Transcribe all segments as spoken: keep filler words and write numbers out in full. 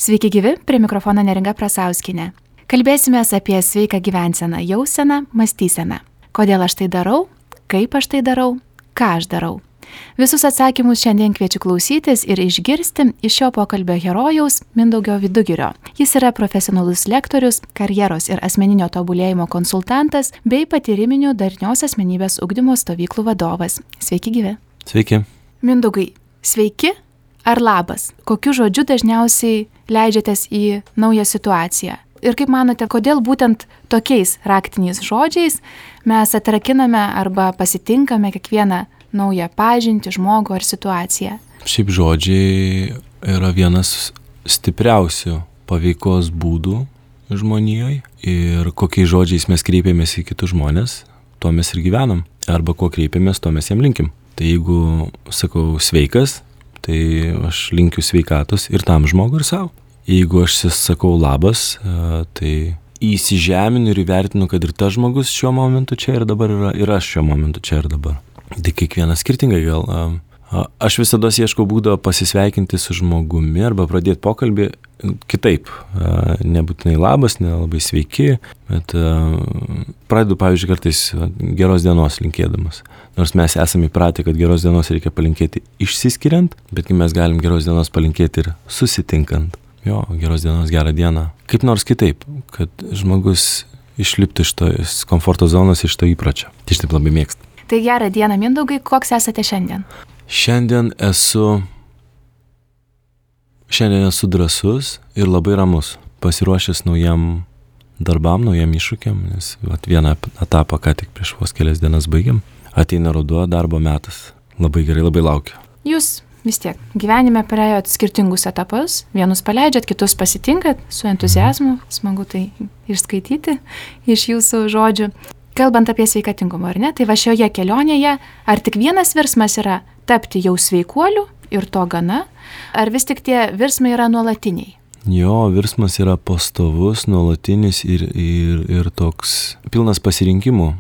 Sveiki gyvi, prie mikrofono Neringa Prasauskinė. Kalbėsimės apie sveiką gyvenseną, jauseną, mąstyseną. Kodėl aš tai darau, kaip aš tai darau, ką aš darau. Visus atsakymus šiandien kviečiu klausytis ir išgirsti iš šio pokalbio herojaus Mindaugo Vidugirio. Jis yra profesionalus lektorius, karjeros ir asmeninio tobulėjimo konsultantas bei patyriminių darnios asmenybės ugdymo stovyklų vadovas. Sveiki gyvi. Sveiki. Mindaugai, sveiki ar labas? Kokiu žodžiu dažniausiai leidžiatės į naują situaciją? Ir kaip manote, kodėl būtent tokiais raktiniais žodžiais mes atrakiname arba pasitinkame kiekvieną naują pažintį, žmogų ar situaciją? Šiaip žodžiai yra vienas stipriausių paveikos būdų žmonijoje ir kokiais žodžiais mes kreipiamės į kitus žmonės, tuo mes ir gyvenam. Arba kuo kreipiamės, tuo mes jam linkim. Tai jeigu sakau sveikas, tai aš linkiu sveikatos ir tam žmogui ir savo. Jeigu aš sakau labas, tai įsižeminu ir įvertinu, kad ir tas žmogus šiuo momentu čia ir dabar yra, ir aš šiuo momentu čia ir dabar. Tai kiekvienas skirtingai gal. Aš visada ieškau būdo pasisveikinti su žmogumi arba pradėti pokalbį kitaip. Nebūtinai labas, nelabai sveiki, bet pradedu, pavyzdžiui, kartais geros dienos linkėdamas. Nors mes esame įpratę, kad geros dienos reikia palinkėti išsiskiriant, betgi mes galim geros dienos palinkėti ir susitinkant. Jo, geros dienos, gerą dieną. Kaip nors kitaip, kad žmogus išliptų iš tos komforto zonos, iš to įpračio. Tai aš taip labai mėgstu. Tai gerą dieną, Mindaugai, koks esate šiandien? Šiandien esu, šiandien esu drąsus ir labai ramus, pasiruošęs naujam darbam, naujam iššūkiam, nes vat, vieną etapą ką tik prieš vos kelias dienas baigiam. Ateina ruduo, darbo metas. Labai gerai, labai laukiu. Jūs vis tiek gyvenime praėjot skirtingus etapus, vienus paleidžiat, kitus pasitinkat su entuziazmu, smagu tai išskaityti iš jūsų žodžių. Kalbant apie sveikatingumą, ar ne, tai va šioje kelionėje, ar tik vienas virsmas yra tapti jau sveikuoliu ir to gana, ar vis tik tie virsmai yra nuolatiniai? Jo, virsmas yra pastovus, nuolatinis ir, ir, ir toks pilnas pasirinkimų,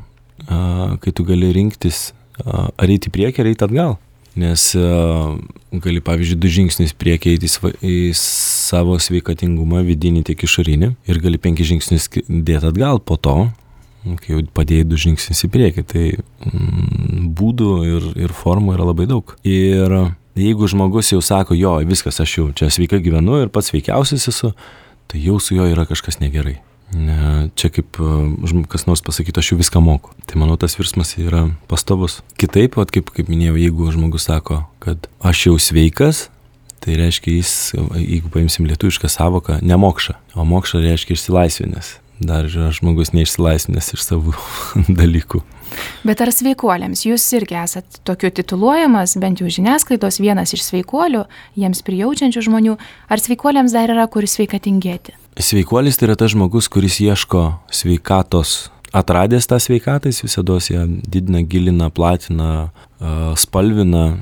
kai tu gali rinktis ar eiti į priekį, ar eiti atgal. Nes gali, pavyzdžiui, du žingsnius priekį eiti į savo sveikatingumą vidinį tiek išorinį ir gali penki žingsnius dėti atgal po to, kai jau padėjai du žingsnius į priekį, tai mm, būdų ir, ir formų yra labai daug. Ir jeigu žmogus jau sako, jo, viskas, aš jau čia sveikai gyvenu ir pats sveikiausias esu, tai jau su juo yra kažkas negerai. Ne, čia kaip kas nors pasakytų, aš jau viską moku. Tai manau, tas virsmas yra pastovus. Kitaip, vat, kaip, kaip minėjau, jeigu žmogus sako, kad aš jau sveikas, tai reiškia jis, jeigu paimsim lietuvišką savoką, nemokša. O mokša reiškia išsilaisvinęs. Dar yra žmogus neišsilaisvinęs iš savų dalykų. Bet ar sveikuoliams jūs irgi esat tokiu tituluojamas, bent jau žiniasklaidos vienas iš sveikuolių, jiems prijaučiančių žmonių, ar sveikuoliams dar yra kur sveikatingėti? Sveikuolis tai yra tas žmogus, kuris ieško sveikatos, atradęs tą sveikatą, jis visados ją didina, gilina, platina, spalvina.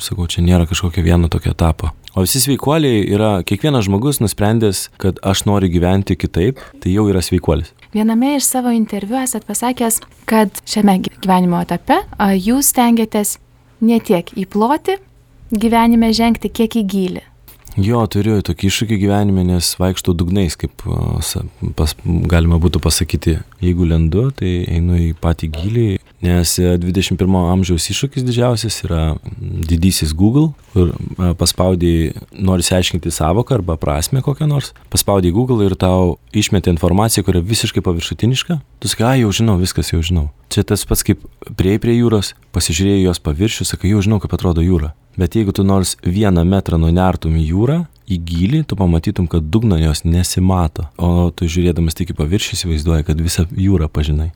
Sakau, čia nėra kažkokio vieno tokio etapo. O visi sveikuoliai yra, kiekvienas žmogus nusprendęs, kad aš noriu gyventi kitaip, tai jau yra sveikuolis. Viename iš savo interviu esat pasakęs, kad šiame gyvenimo etape jūs stengiatės ne tiek į plotį gyvenime žengti, kiek į gylį. Jo, turiu tokį iššūkį gyvenime, nes vaikštau dugnais, kaip pas, galima būtų pasakyti, jeigu lendu, tai einu į patį gylį, nes dvidešimt pirmo amžiaus iššūkis didžiausias yra didysis Google, kur paspaudai, nori aiškinti savoką arba prasmę kokią nors, paspaudai Google ir tau išmetė informaciją, kuri visiškai paviršutiniška, tu sakai, a, jau žinau, viskas jau žinau. Čia tas pats kaip prieėjai prie jūros, pasižiūrėjai jos paviršių, sakai, jau žinau, kaip atrodo jūra. Bet jeigu tu nors vieną metrą nunertum į jūrą, į gylį, tu pamatytum, kad dugno jos nesimato. O tu žiūrėdamas tik į paviršių įsivaizduoji, kad visą jūrą pažinai.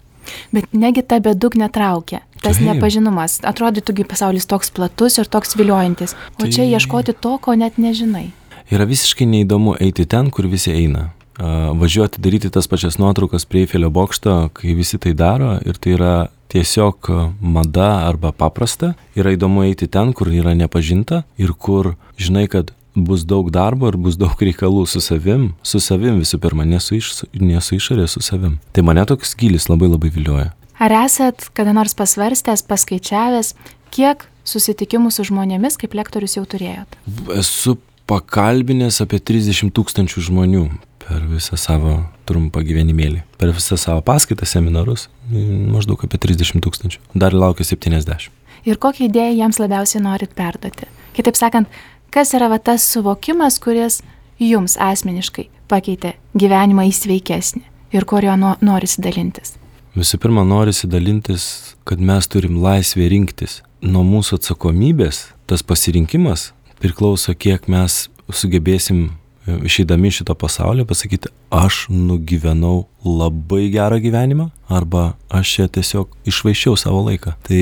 Bet negi ta bedugnė traukia. Tas Taip. Nepažinumas. Atrodytų, pasaulis toks platus ir toks viliojantis. O tai... čia ieškoti to, ko net nežinai. Yra visiškai neįdomu eiti ten, kur visi eina. Važiuoti, daryti tas pačias nuotraukas prie Eifelio bokšto, kai visi tai daro ir tai yra tiesiog mada arba paprasta. Yra įdomu eiti ten, kur yra nepažinta ir kur žinai, kad bus daug darbo ir bus daug reikalų su savim, su savim visų pirma, ne su, iš, ne su išorė, su savim. Tai mane toks gylis labai labai vilioja. Ar esat kada nors pasvarstęs, paskaičiavęs, kiek susitikimų su žmonėmis kaip lektorius jau turėjot? Esu pakalbinęs apie trisdešimt tūkstančių žmonių per visą savo trumpą gyvenimėlį. Per visą savo paskaitą, seminarus, maždaug apie trisdešimt tūkstančių. Dar laukia septyniasdešimt. Ir kokią idėją jiems labiausiai norit perduoti? Kitaip sakant, kas yra va tas suvokimas, kuris jums asmeniškai pakeitė gyvenimą į sveikesnį ir kur jo no, norisi dalintis? Visų pirma, norisi dalintis, kad mes turim laisvę rinktis. Nuo mūsų atsakomybės tas pasirinkimas priklauso, kiek mes sugebėsim išeidami šito pasaulio pasakyti, aš nugyvenau labai gerą gyvenimą arba aš čia tiesiog išvaiščiau savo laiką. Tai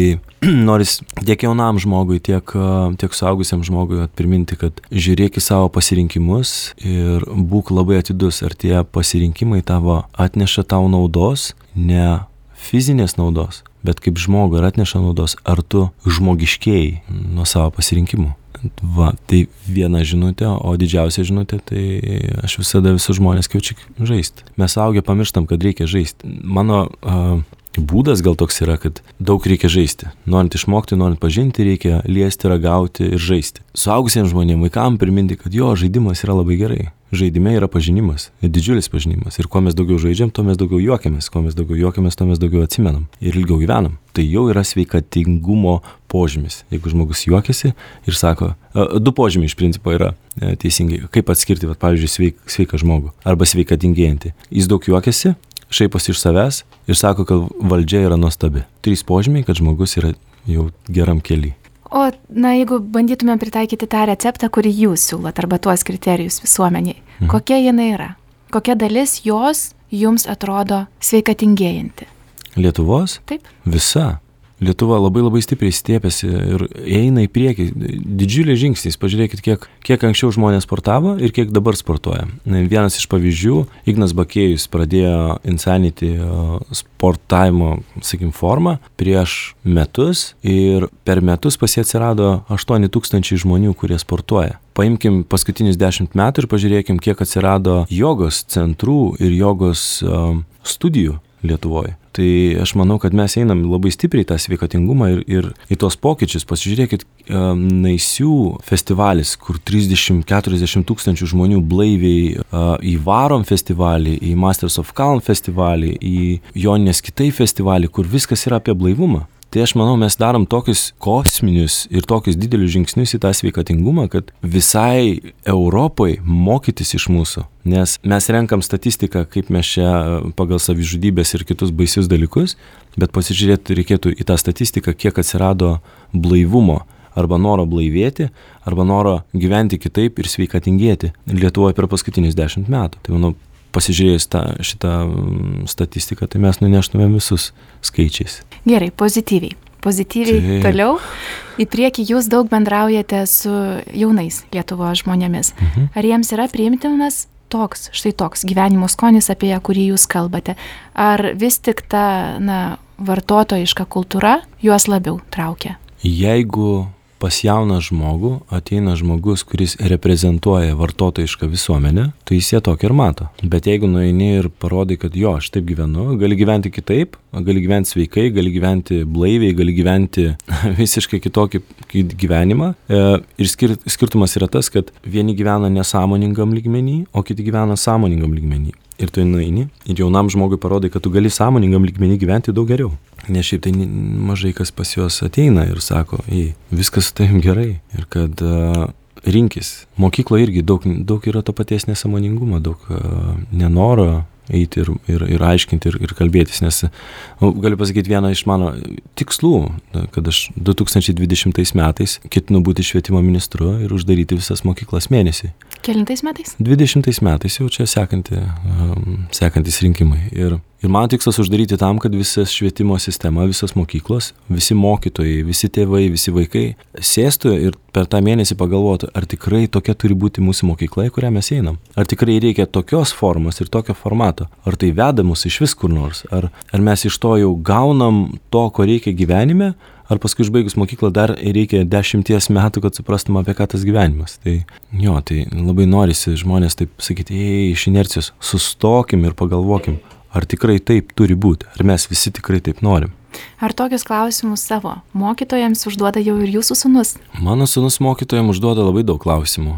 noris tiek jaunam žmogui, tiek, tiek suaugusiam žmogui priminti, kad žiūrėk į savo pasirinkimus ir būk labai atidus, ar tie pasirinkimai tavo atneša tau naudos, ne fizinės naudos, bet kaip žmogui ar atneša naudos, ar tu žmogiškėjai nuo savo pasirinkimų. Va, tai viena žinutė, o didžiausia žinutė, tai aš visada visus žmonės kviečiu žaisti. Mes suaugę pamirštam, kad reikia žaisti. Mano uh, būdas gal toks yra, kad daug reikia žaisti. Norint išmokti, norint pažinti, reikia liesti, ragauti ir žaisti. Suaugusiems žmonėms, vaikams priminti, kad jo žaidimas yra labai gerai. Žaidime yra pažinimas, didžiulis pažinimas. Ir kuo mes daugiau žaidžiam, tuo mes daugiau juokiamės. Kuo mes daugiau juokiamės, tuo mes daugiau atsimenam. Ir ilgiau gyvenam. Tai jau yra sveikatingumo požymis. Jeigu žmogus juokiasi ir sako, du požymiai iš principo yra teisingai. Kaip atskirti, vat, pavyzdžiui, sveik, sveiką žmogų arba sveikatingėjantį. Jis daug juokiasi, šaiposi iš savęs ir sako, kad valdžia yra nuostabi. Trys požymiai, kad žmogus yra jau geram kely. O, na, jeigu bandytumėm pritaikyti tą receptą, kurį jūs siūlot, arba tuos kriterijus visuomeniai, mhm. kokia jinai yra? Kokia dalis jos jums atrodo sveikatingėjanti? Lietuvos? Taip. Visa. Lietuva labai labai stipriai stiepėsi ir eina į priekį. Didžiuliai žingsniai. Pažiūrėkit, kiek, kiek anksčiau žmonės sportavo ir kiek dabar sportuoja. Vienas iš pavyzdžių, Ignas Bakėjus pradėjo Insanity sportavimo, sakim, formą prieš metus ir per metus pas jį atsirado aštuoni tūkstančiai žmonių, kurie sportuoja. Paimkim paskutinius dešimt metų ir pažiūrėkim, kiek atsirado jogos centrų ir jogos um, studijų Lietuvoje. Tai aš manau, kad mes einam labai stipriai tą sveikatingumą ir, ir į tos pokyčius. Pasižiūrėkit, um, Naisių festivalis, kur trisdešimt keturiasdešimt tūkstančių žmonių blaiviai uh, į Varom festivalį, į Masters of Calm festivalį, į Joninės Kitai festivalį, kur viskas yra apie blaivumą. Tai aš manau, mes darom tokius kosminius ir tokius didelius žingsnius į tą sveikatingumą, kad visai Europai mokytis iš mūsų. Nes mes renkam statistiką, kaip mes čia pagal savižudybės ir kitus baisius dalykus, bet pasižiūrėti reikėtų į tą statistiką, kiek atsirado blaivumo arba noro blaivėti, arba noro gyventi kitaip ir sveikatingėti Lietuvoje per paskutinius dešimt metų. Tai manau, pasižiūrėjus tą, šitą statistiką, tai mes nuneštumėm visus skaičiais. Gerai, pozityviai. Pozityviai tai... toliau. Į priekį jūs daug bendraujate su jaunais Lietuvos žmonėmis. Mhm. Ar jiems yra priimtinas toks, štai toks gyvenimo skonis, apie kurį jūs kalbate? Ar vis tik ta, na, vartotojiška kultūra juos labiau traukia? Jeigu pas jauną žmogų ateina žmogus, kuris reprezentuoja vartotojišką visuomenę, tai jis ją tokį ir mato. Bet jeigu nueini ir parodai, kad jo, aš taip gyvenu, gali gyventi kitaip, gali gyventi sveikai, gali gyventi blaiviai, gali gyventi visiškai kitokį gyvenimą. Ir skirtumas yra tas, kad vieni gyvena nesąmoningam lygmenį, o kiti gyvena sąmoningam lygmenį. Ir tu nueini ir jaunam žmogui parodai, kad tu gali sąmoningam lygmenį gyventi daug geriau. Nes šiaip tai mažai kas pas juos ateina ir sako, ei, viskas su tavim gerai. Ir kad uh, rinkis. Mokykloje irgi daug, daug yra to paties nesąmoningumo, daug uh, nenoro eiti ir, ir, ir aiškinti ir, ir kalbėtis. Nes nu, galiu pasakyti vieną iš mano tikslų, kad aš du tūkstančiai dvidešimtais metais ketinu būti švietimo ministru ir uždaryti visas mokyklas mėnesį. Kelintais metais? dvidešimtais metais jau čia sekanti, um, sekantis rinkimai. Ir, ir mano tikslas uždaryti tam, kad visas švietimo sistema, visos mokyklos, visi mokytojai, visi tėvai, visi vaikai sėstų ir per tą mėnesį pagalvotų, ar tikrai tokia turi būti mūsų mokykla, į kurią mes einam. Ar tikrai reikia tokios formos ir tokio formato. Ar tai veda mus iš vis kur nors. Ar, ar mes iš to jau gaunam to, ko reikia gyvenime. Ar paskui išbaigus mokyklą dar reikia dešimties metų, kad suprastum, apie ką tas gyvenimas. Tai jo, tai labai norisi žmonės taip sakyti, ei, iš inercijos, sustokim ir pagalvokim, ar tikrai taip turi būti, ar mes visi tikrai taip norim. Ar tokius klausimus savo mokytojams užduoda jau ir jūsų sūnus? Mano sūnus mokytojams užduoda labai daug klausimų.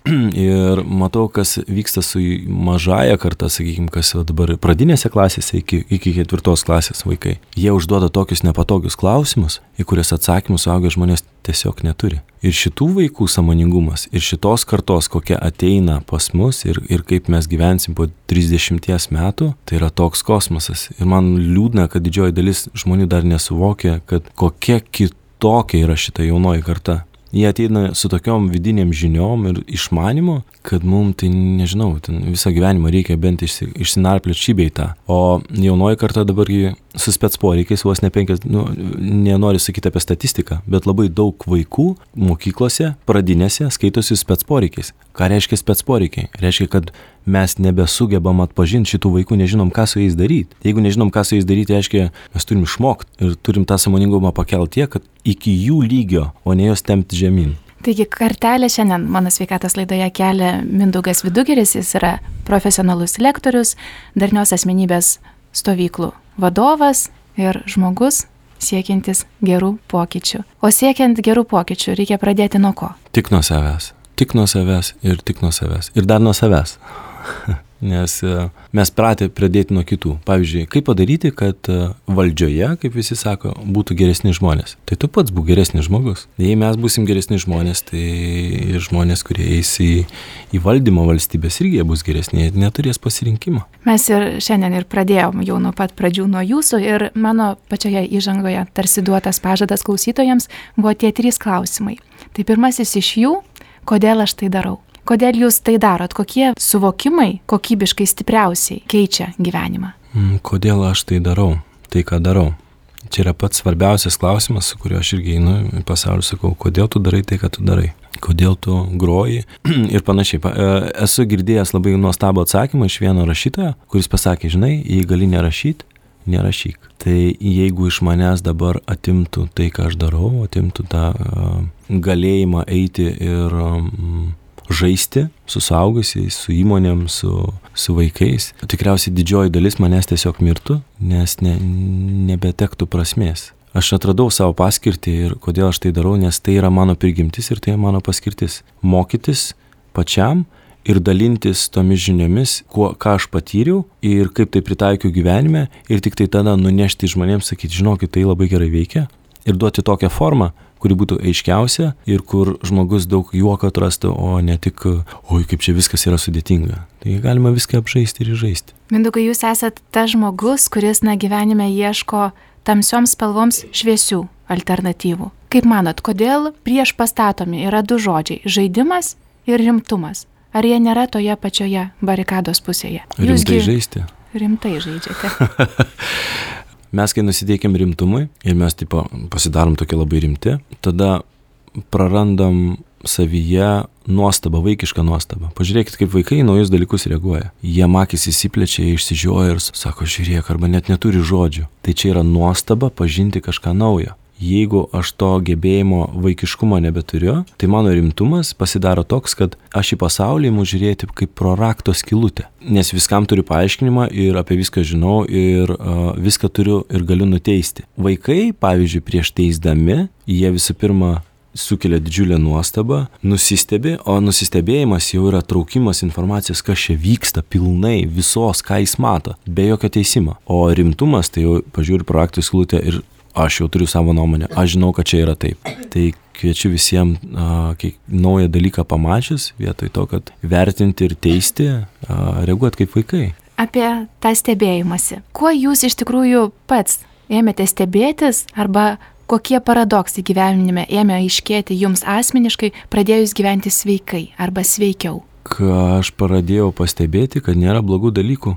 Ir matau, kas vyksta su mažaja karta, sakykime, kas dabar pradinėse klasėse iki, iki ketvirtos klasės vaikai. Jie užduoda tokius nepatogius klausimus, į kurias atsakymus suaugę žmonės tiesiog neturi. Ir šitų vaikų sąmoningumas, ir šitos kartos, kokia ateina pas mus ir, ir kaip mes gyvensim po trisdešimties metų, tai yra toks kosmosas. Ir man liūdna, kad didžioji dalis žmonių dar nesuvokia, kad kokia kitokia yra šita jaunoji karta. Jie ateina su tokiom vidiniam žiniom ir išmanimu, kad mums tai, nežinau, ten visą gyvenimą reikia bent išsi, išsinarplioti šį bei tą. O jaunoji karta dabargi su spec poreikiais, vos ne penkias, nu, nenoriu sakyti apie statistiką, bet labai daug vaikų mokyklose, pradinėse skaitosi spec poreikiais. Ką reiškia spec poreikiai? Reiškia, kad mes nebesugebam atpažinti šitų vaikų, nežinom, ką su jais daryti. Jeigu nežinom, ką su jais daryti, reiškia, mes turim išmokti ir turim tą sąmoningumą pakelti tiek, kad iki jų lygio, o ne jos tempti žemyn. Taigi kartelę šiandien mano sveikatos laidoje kelia Mindaugas Vidugiris, jis yra profesionalus lektorius, darnios asmenybės stovyklų vadovas ir žmogus siekiantis gerų pokyčių. O siekiant gerų pokyčių reikia pradėti nuo ko? Tik nuo savęs. Tik nuo savęs ir tik nuo savęs. Ir dar nuo savęs. Nes mes pratę pradėti nuo kitų. Pavyzdžiui, kaip padaryti, kad valdžioje, kaip visi sako, būtų geresni žmonės. Tai tu pats būk geresnis žmogus. Jei mes būsim geresni žmonės, tai žmonės, kurie eis į, į valdymo valstybės, irgi jie bus geresni, jie neturės pasirinkimo. Mes ir šiandien ir pradėjom jau nuo pat pradžių nuo jūsų ir mano pačioje įžangoje tarsi duotas pažadas klausytojams buvo tie trys klausimai. Tai pirmasis iš jų, kodėl aš tai darau? Kodėl jūs tai darot? Kokie suvokimai kokybiškai stipriausiai keičia gyvenimą? Kodėl aš tai darau? Tai ką darau? Čia yra pats svarbiausias klausimas, su kuriuo aš irgi einu į pasaulį, sakau, kodėl tu darai tai, ką tu darai? Kodėl tu groji? Ir panašiai. Esu girdėjęs labai nuostabų atsakymą iš vieno rašytojo, kuris pasakė, žinai, jei gali nerašyti, nerašyk. Tai jeigu iš manęs dabar atimtų tai, ką aš darau, atimtų tą uh, galėjimą eiti ir um, žaisti su suaugusiais, su įmonėm, su, su vaikais, tikriausiai didžioji dalis manęs tiesiog mirtų, nes ne, nebetektų prasmės. Aš atradau savo paskirtį ir kodėl aš tai darau, nes tai yra mano prigimtis ir tai yra mano paskirtis. Mokytis pačiam ir dalintis tomis žiniomis, kuo, ką aš patyriau ir kaip tai pritaikiau gyvenime ir tik tai tada nunešti žmonėms, sakyti, žinokit, tai labai gerai veikia ir duoti tokią formą, kuri būtų aiškiausia ir kur žmogus daug juoko atrastų, o ne tik, oi, kaip čia viskas yra sudėtinga. Tai galima viską apžaisti ir žaisti. Mindaugai, jūs esat tas žmogus, kuris na gyvenime ieško tamsioms spalvoms šviesių alternatyvų. Kaip manot, kodėl prieš pastatomi yra du žodžiai – žaidimas ir rimtumas? Ar jie nėra toje pačioje barikados pusėje? Rimtai žaisti? Rimtai žaidžiate. Mes, kai nusiteikiam rimtumui ir mes tipo, pasidarom tokie labai rimti, tada prarandam savyje nuostabą, vaikišką nuostabą. Pažiūrėkit, kaip vaikai į naujus dalykus reaguoja. Jie akys įsiplečia, išsižioja ir sako, žiūrėk, arba net neturi žodžių. Tai čia yra nuostaba pažinti kažką naujo. Jeigu aš to gebėjimo vaikiškumo nebeturiu, tai mano rimtumas pasidaro toks, kad aš į pasaulį imu žiūrėti kaip pro rakto skylutę. Nes viskam turiu paaiškinimą ir apie viską žinau ir uh, viską turiu ir galiu nuteisti. Vaikai, pavyzdžiui, prieš teisdami, jie visų pirma sukelia didžiulę nuostabą, nusistebi, o nusistebėjimas jau yra traukimas informacijos, kas čia vyksta pilnai, visos, ką jis mato, be jokio teisimo. O rimtumas, tai jau pažiūri pro rakto skylutę ir aš jau turiu savo nuomonę, aš žinau, kad čia yra taip. Tai kviečiu visiems kiek naują dalyką pamačius, vietoj to, kad vertinti ir teisti, a, reaguoti kaip vaikai. Apie tą stebėjimąsi. Kuo jūs iš tikrųjų pats ėmėte stebėtis arba kokie paradoksai gyvenime ėmė aiškėti jums asmeniškai, pradėjus gyventi sveikai arba sveikiau? Ką aš pradėjau pastebėti, kad nėra blogų dalykų.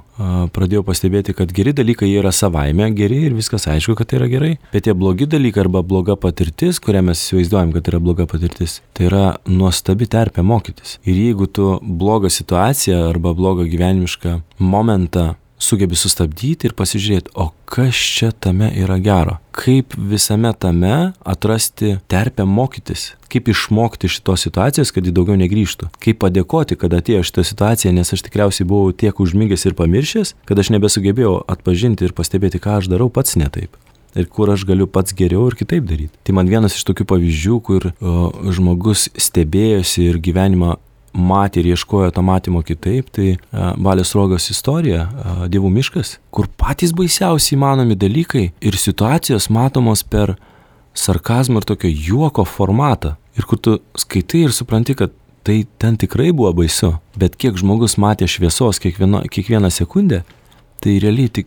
Pradėjau pastebėti, kad geri dalykai jie yra savaime geri ir viskas aišku, kad tai yra gerai. Bet tie blogi dalykai arba bloga patirtis, kurią mes įsivaizduojam, kad yra bloga patirtis, tai yra nuostabi terpė mokytis. Ir jeigu tu blogą situaciją arba blogą gyvenimišką momentą sugebi sustabdyti ir pasižiūrėti, o kas čia tame yra gero. Kaip visame tame atrasti terpę mokytis. Kaip išmokti šitos situacijos, kad ji daugiau negrįžtų. Kaip padėkoti, kad atėjo šitą situaciją, nes aš tikriausiai buvau tiek užmigęs ir pamiršęs, kad aš nebesugebėjau atpažinti ir pastebėti, ką aš darau pats ne taip. ir kur aš galiu pats geriau ir kitaip daryti. Tai man vienas iš tokių pavyzdžių, kur o, žmogus stebėjosi ir gyvenimą matė ir ieškojo to matymo kitaip, tai a, Balio Sruogos istorija, a, Dievų miškas, kur patys baisiausiai įmanomi dalykai ir situacijos matomos per sarkazmą ir tokio juoko formatą. Ir kur tu skaitai ir supranti, kad tai ten tikrai buvo baisu, bet kiek žmogus matė šviesos kiekvieno, kiekvieną sekundę, tai realiai tik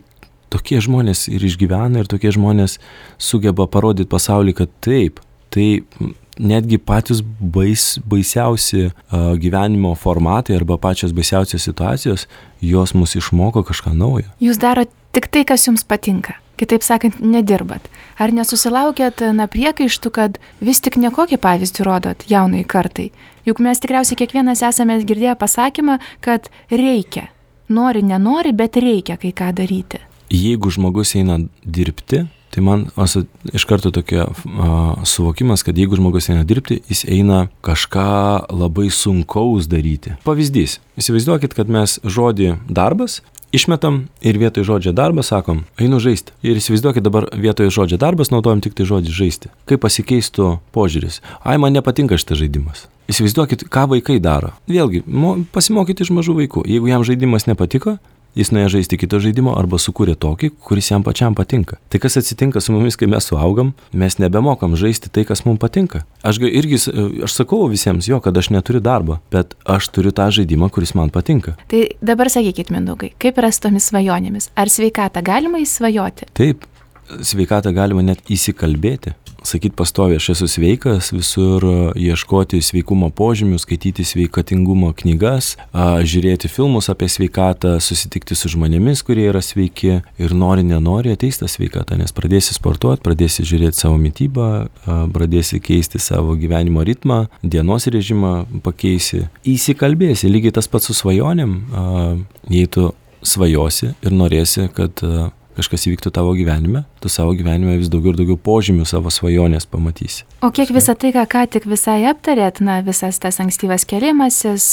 tokie žmonės ir išgyvena ir tokie žmonės sugeba parodyti pasaulį, kad taip, tai netgi patys bais, baisiausi uh, gyvenimo formatai arba pačios baisiausios situacijos, jos mus išmoko kažką naujo. Jūs darot tik tai, kas jums patinka. Kitaip sakant, nedirbat. Ar nesusilaukėt na priekaištų, kad vis tik nekokį pavyzdį rodot jaunai kartai? Juk mes tikriausiai kiekvienas esame girdėję pasakymą, kad reikia. Nori, nenori, bet reikia kai ką daryti. Jeigu žmogus eina dirbti, tai man asa, iš karto tokia a, suvokimas, kad jeigu žmogus eina dirbti, jis eina kažką labai sunkaus daryti. Pavyzdys. Įsivaizduokit, kad mes žodį darbas išmetam ir vietoj žodžio darbas sakom, einu žaisti. Ir įsivaizduokit dabar vietoj žodžio darbas naudojam tik tai žodį žaisti. Kaip pasikeistų požiūris. Ai, man nepatinka šitas žaidimas. Įsivaizduokit, ką vaikai daro. Vėlgi, mo, pasimokyti iš mažų vaikų. Jeigu jam žaidimas nepatiko, jis nuėjo žaisti kito žaidimo arba sukūrė tokį, kuris jam pačiam patinka. Tai kas atsitinka su mumis, kai mes suaugam, mes nebemokam žaisti tai, kas mums patinka. Aš irgi, aš sakau visiems, jo, kad aš neturiu darbo, bet aš turiu tą žaidimą, kuris man patinka. Tai dabar sakykit, Mindaugai, kaip yra su tomis svajonėmis? Ar sveikatą galima įsvajoti? Taip, sveikatą galima net įsikalbėti. Sakyt pastoviai, aš esu sveikas, visur ieškoti sveikumo požymių, skaityti sveikatingumo knygas, žiūrėti filmus apie sveikatą, susitikti su žmonėmis, kurie yra sveiki ir nori, nenori ateis tą sveikatą, nes pradėsi sportuoti, pradėsi žiūrėti savo mitybą, pradėsi keisti savo gyvenimo ritmą, dienos režimą pakeisi, įsikalbėsi, lygiai tas pats su svajonėm, jei tu svajosi ir norėsi, kad kažkas įvyktų tavo gyvenime, tu savo gyvenime vis daugiau ir daugiau požymių savo svajonės pamatysi. O kiek visą tai, ką ką tik visai aptarėt, na, visas tas ankstyvas kėlimasis,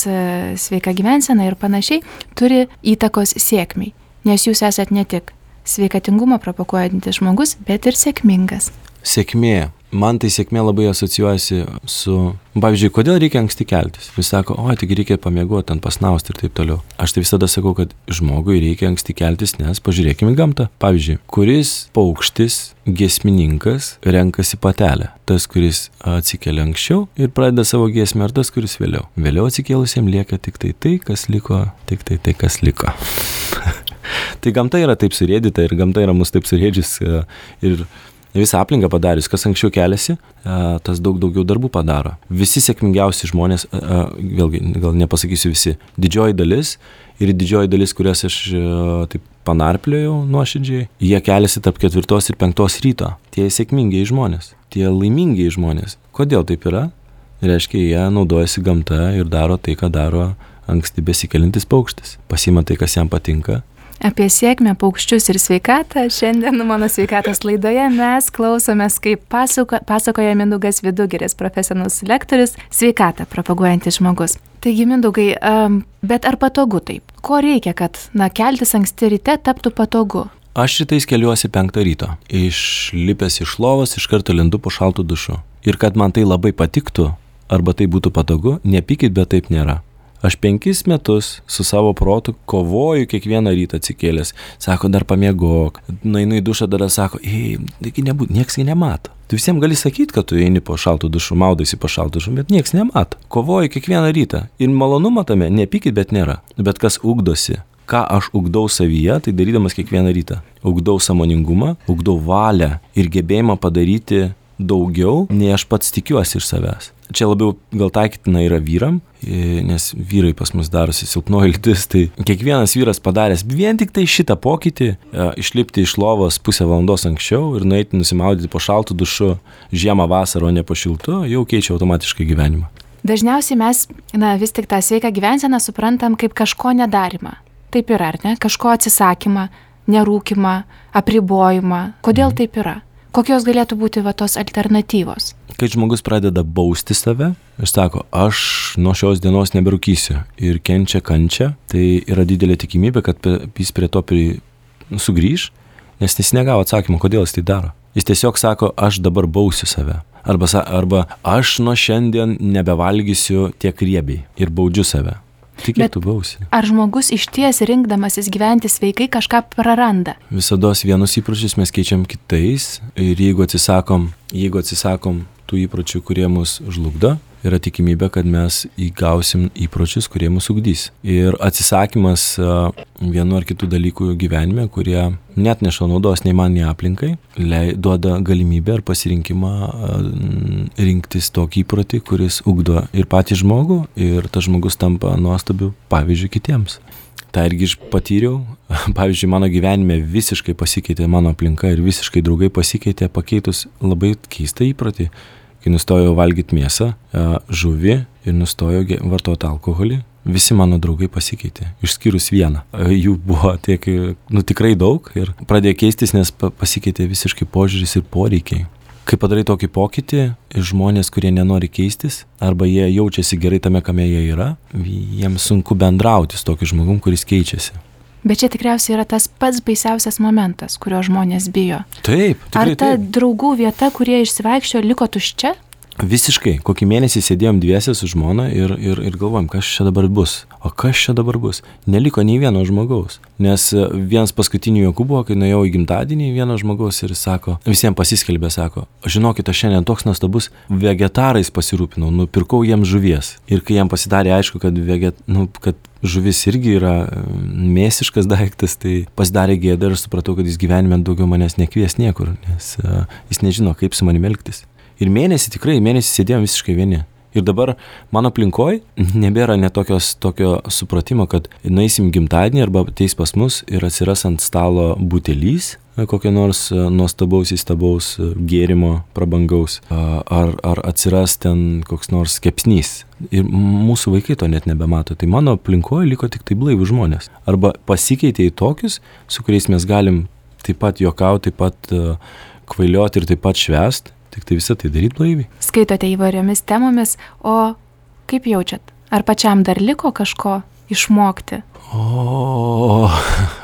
sveika gyvensena ir panašiai, turi įtakos sėkmiai, nes jūs esat ne tik sveikatingumą propaguojantis žmogus, bet ir sėkmingas. Sėkmė. Man tai sėkmė labai asocijuojasi su, pavyzdžiui, kodėl reikia anksti keltis. Vis sako, o, tik reikia pamiegoti, ten pasnausti ir taip toliau. Aš tai visada sakau, kad žmogui reikia anksti keltis, nes pažiūrėkime gamtą. Pavyzdžiui, kuris paukštis, giesmininkas renkasi patelę. Tas, kuris atsikelia anksčiau ir pradeda savo giesmę, ar tas, kuris vėliau. Vėliau atsikėlusiam lieka tik tai tai, kas liko, tik tai tai, kas liko. Tai gamta yra taip surėdyta ir gamta yra mus taip surėdžius ir visą aplinką padarius, kas anksčiau keliasi, tas daug daugiau darbų padaro. Visi sėkmingiausi žmonės, vėlgi, gal nepasakysiu visi, didžioji dalis ir didžioji dalis, kurias aš taip panarpliojau nuoširdžiai, jie keliasi tarp ketvirtos ir penktos ryto. Tie sėkmingiai žmonės, tie laimingiai žmonės. Kodėl taip yra? Reiškia, jie naudojasi gamta ir daro tai, ką daro anksti besikelintis paukštis. Pasima tai, kas jam patinka. Apie sėkmę, paukščius ir sveikatą šiandien mano sveikatos laidoje mes klausomės, kaip pasako, pasakoja Mindaugas Vidugiris, profesionalus lektorius, sveikatą propaguojantis žmogus. Taigi, Mindaugai, um, bet ar patogu taip? Ko reikia, kad na, keltis anksti ryte taptų patogu? Aš rytais keliuosi penktą ryto. Išlipęs iš lovos, iš karto lendu po šaltų dušu. Ir kad man tai labai patiktų, arba tai būtų patogu, nepykit, bet taip nėra. Aš penkis metus su savo protu kovoju kiekvieną rytą atsikėlęs. Sako, dar pamiegok. Nueinu į dušą, dar sako, ei, taigi nebūt, nieks jį nemato. Tu visiems gali sakyti, kad tu eini po šaltų dušų, maudaisi po šaltų dušų, bet nieks nemato. Kovoju kiekvieną rytą. Ir malonumą tame, nepykit, bet nėra. Bet kas ugdosi, ką aš ugdau savyje, tai darydamas kiekvieną rytą. Ugdau sąmoningumą, ugdau valią ir gebėjimą padaryti daugiau, nei aš pats tikiuosi iš savęs. Čia labiau gal taikytina yra vyram, nes vyrai pas mus darosi silpnoji lytis, tai kiekvienas vyras padaręs vien tik tai šitą pokytį, išlipti iš lovos pusę valandos anksčiau ir nueiti nusimaudyti po šaltų dušu žiemą vasarą, o ne po šiltu, jau keičia automatiškai gyvenimą. Dažniausiai mes, na, vis tik tą sveiką gyvenseną suprantam kaip kažko nedarimą. Taip yra, ar ne? Kažko atsisakymą, nerūkimą, apribojimą. Kodėl mm. taip yra? Kokios galėtų būti va tos alternatyvos? Kai žmogus pradeda bausti save ir sako, aš nuo šios dienos neberūkysiu ir kenčia kančia, tai yra didelė tikimybė, kad jis prie to pri, sugrįž, nes jis negavo atsakymą, kodėl jis tai daro. Jis tiesiog sako, aš dabar bausiu save. Arba, arba aš nuo šiandien nebevalgysiu tiek riebiai ir baudžiu save. Tik kiek tu bausi. Ar žmogus iš ties rinkdamasis gyventi sveikai kažką praranda? Visados vienus įpročius mes keičiam kitais ir jeigu atsisakom, jeigu atsisakom tų įpročių, kurie mus žlugdo, yra tikimybė, kad mes įgausim įpročius, kurie mus ugdys. Ir atsisakymas vienu ar kitų dalykų gyvenime, kurie net neša naudos nei man, nei aplinkai, duoda galimybę ar pasirinkimą rinktis tokį įprotį, kuris ugdo ir patį žmogų, ir tas žmogus tampa nuostabiu pavyzdžiu kitiems. Tai irgi aš patyriau, pavyzdžiui, mano gyvenime visiškai pasikeitė mano aplinka ir visiškai draugai pasikeitė pakeitus labai keistą įprotį. Kai nustojau valgyti mėsą, žuvį ir nustojau vartoti alkoholį, visi mano draugai pasikeitė, išskyrus vieną. Jų buvo tiek, nu tikrai daug ir pradėjo keistis, nes pasikeitė visiškai požiūris ir poreikiai. Kai padarai tokį pokytį, žmonės, kurie nenori keistis, arba jie jaučiasi gerai tame, kame jie yra, jiems sunku bendrauti su tokiu žmogum, kuris keičiasi. Bet čia tikriausiai yra tas pats baisiausias momentas, kurio žmonės bijo. Taip, tikrai Ar ta taip. draugų vieta, kurie išsivaikščiojo, liko tuščia? Visiškai. Kokį mėnesį sėdėjom dviese su žmona ir, ir, ir galvojom, kas čia dabar bus. O kas čia dabar bus? Neliko nei vieno žmogaus. Nes vienas paskutinių juokų buvo, kai nuėjau į gimtadienį vieno žmogaus ir sako, visiems pasiskelbė, sako, žinokit, aš šiandien toks nuostabus, vegetarais pasirūpinau, nupirkau jiems žuvies. Ir kai jam pasidarė aišku, kad, veget, nu, kad žuvis irgi yra mėsiškas daiktas, tai pasidarė gėda ir supratau, kad jis gyvenime daugiau manęs nekvies niekur, nes uh, jis nežino, kaip su manimi elgtis. Ir mėnesį, tikrai, mėnesį sėdėjom visiškai vieni. Ir dabar mano aplinkoj nebėra net tokios, tokio supratimo, kad nueisim gimtadienį arba ateis pas mus ir atsiras ant stalo butelys, kokio nors nuostabaus įstabaus gėrimo prabangaus, ar, ar atsiras ten koks nors kepsnys. Ir mūsų vaikai to net nebemato. Tai mano aplinkoje liko tik tai blaivų žmonės. Arba pasikeitė į tokius, su kuriais mes galim taip pat juokauti, taip pat uh, kvailioti ir taip pat švęst. Tik tai visą tai daryti blaiviai. Skaitote įvairiomis temomis, o kaip jaučiat? Ar pačiam dar liko kažko išmokti? O,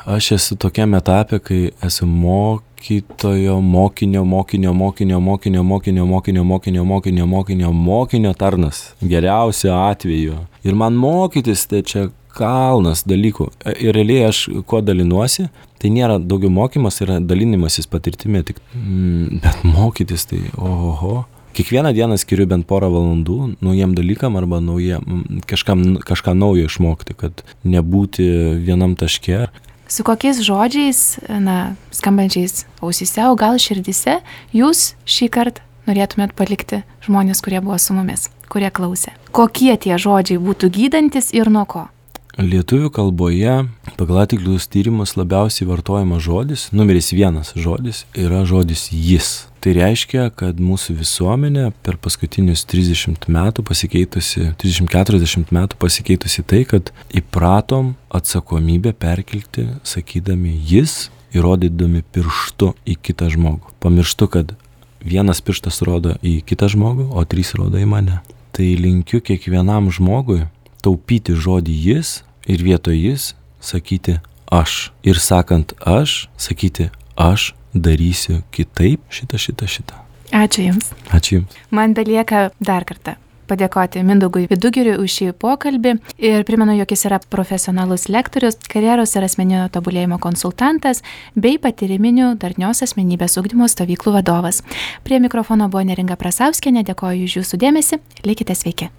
aš esu tokiam etape, kai esu mokytojo, mokinio, mokinio, mokinio, mokinio, mokinio, mokinio, mokinio, mokinio, mokinio, mokinio tarnas. Geriausiu atveju. Ir man mokytis, tai čia kalnas dalykų. Ir realiai aš kuo dalinuosi, tai nėra daugiau mokymas, yra dalinimasis patirtimi, tik, mm, bet mokytis tai oho. Kiekvieną dieną skiriu bent porą valandų naujiem dalykam arba naujiem, kažkam, kažką naujo išmokti, kad nebūti vienam taške. Su kokiais žodžiais, na, skambančiais ausyse, o gal širdise, jūs šį kartą norėtumėt palikti žmonės, kurie buvo su mumis, kurie klausė? Kokie tie žodžiai būtų gydantis ir nuo ko? Lietuvių kalboje pagal atliktus tyrimus labiausiai vartojamas žodis, numeris vienas žodis, yra žodis jis. Tai reiškia, kad mūsų visuomenė per paskutinius trisdešimt metų pasikeitusi, trisdešimt keturiasdešimt metų pasikeitusi tai, kad įpratom atsakomybę perkelti, sakydami jis, įrodydami pirštu į kitą žmogų. Pamirštu, kad vienas pirštas rodo į kitą žmogų, o trys rodo į mane. Tai linkiu kiekvienam žmogui taupyti žodį jis ir vietoj jis sakyti aš. Ir sakant aš, sakyti aš darysiu kitaip šitą, šitą, šitą. Ačiū Jums. Ačiū Jums. Man belieka dar kartą padėkoti Mindaugui Vidugiriui už šį pokalbį ir primenu, jog jis yra profesionalus lektorius, karjeros ir asmeninio tobulėjimo konsultantas bei patyriminių darnios asmenybės ugdymo stovyklų vadovas. Prie mikrofono buvo Neringa Prasauskienė, dėkoju už Jūsų dėmesį, likite sveiki.